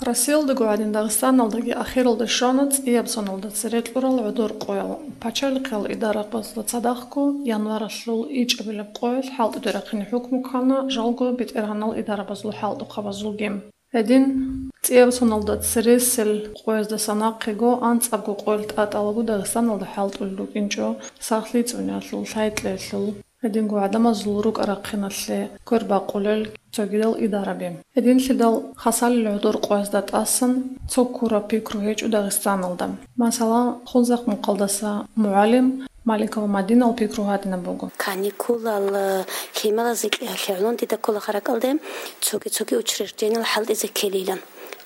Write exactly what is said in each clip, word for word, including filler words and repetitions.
Россиялдаго гӀадин Дагъистаналдаги ахиралде щвана цӀияб соналда цере кьурал гӀодор къоял. Пачалихъал идарабазда цадахъго январалъул ичӀабилаб къоялъ хӀалтӀуде рахъине хӀукму ккана жалго бетӀергьанал идарабазул хӀалтӀухъабазулги. Гьедин, цӀияб соналда цересел къояздаса нахъего анцӀабго къоялъ тӀатӀалаго Дагъистаналда хӀалтӀулел рукӀинчӀо сахлъи цӀуниялъул, лъай-кьеялъул, гьединго гӀадамазул рукӀа-рахъиналъе квербакъулел цогидал идараби. Гьединлъидал хасалил гӀодор къоязда тӀасан цо ккураб пикру гьечӀо Дагъистаналда. Масала, Хунзахъ мукъалдаса мугӀалим Маликова Мадинал пикру гьадинаб буго. Каникулал, э, лъималазе кьеялъе гӀолон дида ккола харакалде цоги-цоги учреждениялъ хӀалтӀизе ккелилан.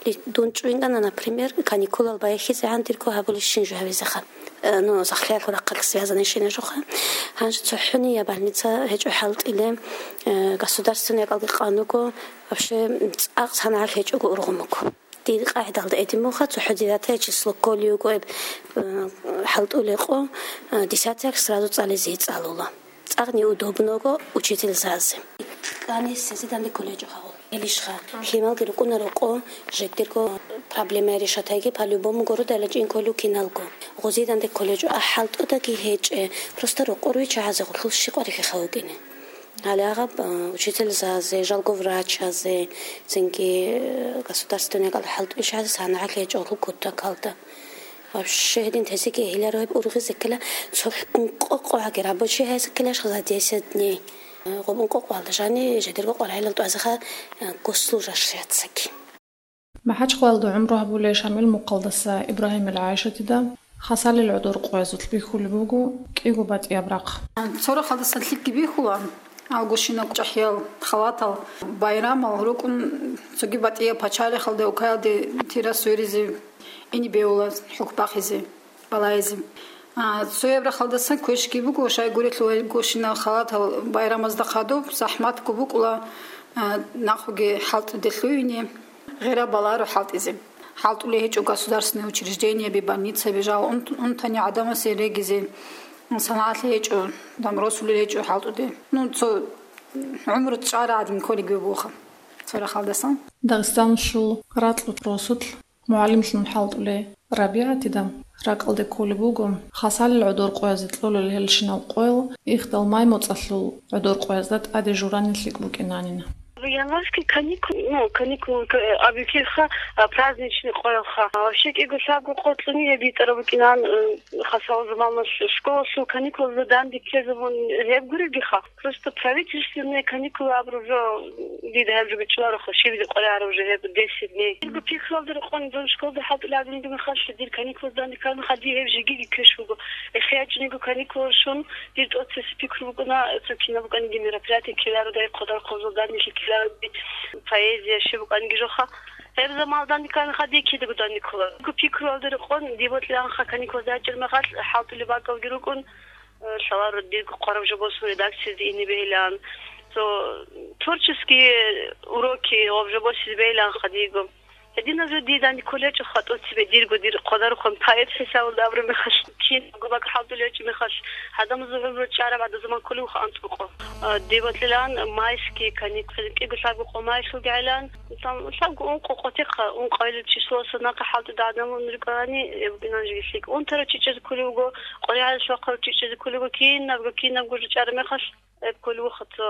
Ли-, дун чӀвинкӀана, например, каникулал баяхизегӀан дирго гьабулищин жо гьавизеха. Э, ну, сахлъиялъул рахъалъ связанный щинажуха. Гьанже цохӀони я больница гьечӀо хӀалтӀиле, э, государственный якӀалги къан вуго, вообще цӀакъ санагӀалъ гьечӀого ургъун вуго. Дир къагӀидалда гьедин буха, цохӀо девятое число кколей вуго гьеб, э, хӀалтӀулей къо, э, десятое сразу цӀализе цӀалула. ЦӀакъ неудобного учительзазе. Кани сезе данде колледжо хавул. Элишха, лъималги рукӀунаро къо, жеддирго проблема решатайги по-любому городайла чӀин кколев киналго. Гъозие данде колледжо ахӀалтӀудаги гьечӀе, просто рокъор вичагьазе гъулъул щикъ варихьи хавукӀине. Гьале агъаб, а, учительзазе, жалго врачазе, цинги, э, государственный кӀал хӀалтӀулъ гьазе санагӀалъи гьечӀо гъул кутакалда. Вообще гьедин тесеги гьеларо гьеб ургъизе ккела, цо ункъо къо гьаги рабочий гьайзе ккелаш за десять дней. Гъоб ункъо къоялда жани жедерго къваригӀелал тӀвазеха, э, госслужащаяцаги. МахӀачхъалалда гӀумру гьабулей Шамил мукъалдаса Ибрагьимил ГӀайшатида хасалил гӀодор къоязулъ бихьулеб буго кӀиго батӀияб рахъ. Цо рахъалдасан лъикӀги бихьула, алгощинаб чӀахӀиял, халатал, байрамал рукӀун цоги батӀияб пачалихъалде, укаялде тира сверизе, ине бегьула хӀухь бахизе, балагьизе. А, цояб рахъалдасан квешги буго, щайгурелъул гьел гощинал халатал байрамазда хадуб, захӀматго букӀула, а, нахъуги хӀалтӀуде лъугьине, гъира баларо хӀалтӀизе. ХӀалтӀулей гьечӀо государственный учреждениеби, больницаби жал унт-, унтани гӀадамасе регизе, санагӀалъи гьечӀо, дам росулел гьечӀо хӀалтӀуде. Ну, цо гӀумру чӀара гӀадин кколеги бугоха цо рахъалдасан. Дагъистаналъул ракьул росулъ мугӀалимлъун хӀалтӀулей РабигӀатида ракӀалде кколеб буго, хасалил гӀодор къоязе кьолел гьелщинал къоял ихдал май моцӀалъул гӀодор къоязда тӀаде журани лъикӀ букӀинанин. Январский каникул, ну, каникул, к-, абикьиха, а, праздничный къоялха. А, вообще кӀиго лъабго къо кьуни гьеб битӀараб букӀинан, э, хасал заманалъ школалъул каникулазда данде ккезабун гьеб гуребгиха. Просто правительственные каникулы абураб жо дида гьаб жо бичӀчӀулароха, щиб къваригӀараб жо гьеб десять дней. Дирго пикруялда рекъон, дун школалда хӀалтӀулев гьадинги мехалъ, дир каникулазда данде ккараб мехалъ, дие гьеб жеги ккеш буго. ГӀехиячӀниго каникулал щун, дир тӀоцебесеб пикру букӀуна, цо кинаб букӀаниги мероприятие ккеларо, дай хъодархъубазул данделъи ккеларо, поэзия, щиб букӀаниги жоха. Гьеб заманалда данде ккараб мехалъ, дие кидаго данде ккола. Дирго пикруялда рекъон, дие бокьилаанха каникулазда ячӀараб мехалъ, хӀалтӀулеб бакӀалги рукӀун, лъаларо дирго хъвараб жо босун редакциялде ине бегьилаан. Цо творческие уроки гъоб жо босизе бегьилаанха диего. Гьединаб жо дие данде кколеб гьечӀоха тӀоцебе дирго, дир хъодарухъан поэт хӀисабалда абураб мехалъ, кинабго бакӀ хӀалтӀулев гьечӀеб мехалъ, гьадамазул гӀумру чӀараб гӀадаб заман кколеб буго анцӀго къо. А, дие бокьилаан майские каникулы, кӀиго лъабго къо майлъулгӀилан, Там лъабго ункъо къотихъа, ункъоялил числоялъул нахъа хӀалтӀуда гӀадамал рукӀарани, э, букӀинан жеги лъикӀ. Унтарав чи чӀезе кколев вуго, къваригӀел вахъарав чи чӀезе кколев вуго, кинабго, кинабго жо чӀараб мехалъ, э, кколев вуго, цо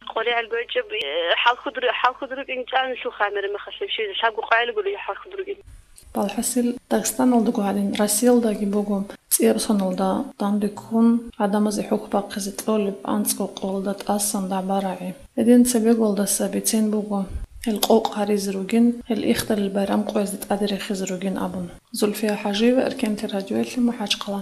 къваригӀел гойчӀеб, э, хӀалхуд ру-, хӀалхуд рукӀин чӀанилъул хамера мехалъ, вообще лъабго къвайил гури хӀалхуд рукӀин. Балхасил, Дагъистаналдаго гьадин, Россиялдаги буго цӀияб соналда данде ккун гӀадамазе хӀухь бахъизе кьолеб анцӀго къоялда тӀасан дагӀба-рагӀи. Гьедин цебеголдаса бицен буго, гьел къокъ гьаризе ругин, гьел ихдалил байрам къоязда тӀаде рехизе ругин абун. Зульфия ХӀажиева, Эркенлъи радиоялъе, МахӀачхъала.